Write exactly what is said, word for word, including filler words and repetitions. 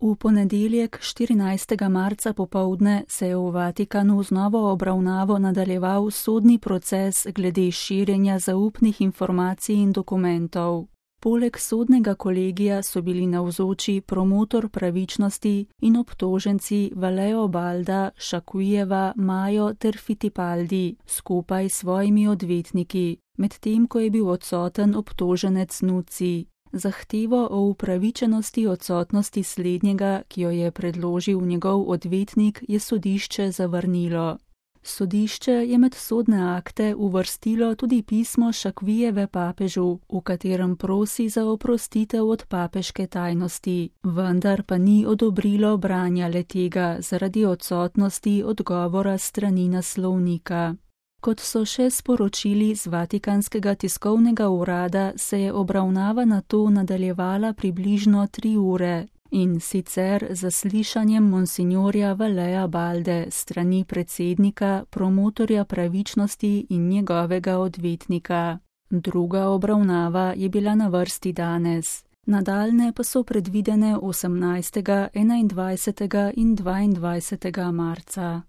V ponedeljek, štirinajstega marca popoldne, se je v Vatikanu z novo obravnavo nadaljeval sodni proces glede širjenja zaupnih informacij in dokumentov. Poleg sodnega kolegija so bili navzoči promotor pravičnosti in obtoženci Valeo Balda, Šakujeva, Majo ter Fittipaldi skupaj s svojimi odvetniki, medtem ko je bil odsoten obtoženec Nuci. Zahtevo o upravičenosti odsotnosti slednjega, ki jo je predložil njegov odvetnik, je sodišče zavrnilo. Sodišče je med sodne akte uvrstilo tudi pismo Šakujeve papežu, v katerem prosi za oprostitev od papeške tajnosti, vendar pa ni odobrilo branja le-tega zaradi odsotnosti odgovora strani naslovnika. Kot so še sporočili z Vatikanskega tiskovnega urada, se je obravnava nato nadaljevala približno tri ure, in sicer z zaslišanjem monsinjorja Valea Balde strani predsednika, promotorja pravičnosti in njegovega odvetnika. Druga obravnava je bila na vrsti danes. Nadaljne pa so predvidene osemnajstega, enaindvajsetega in dvaindvajsetega marca.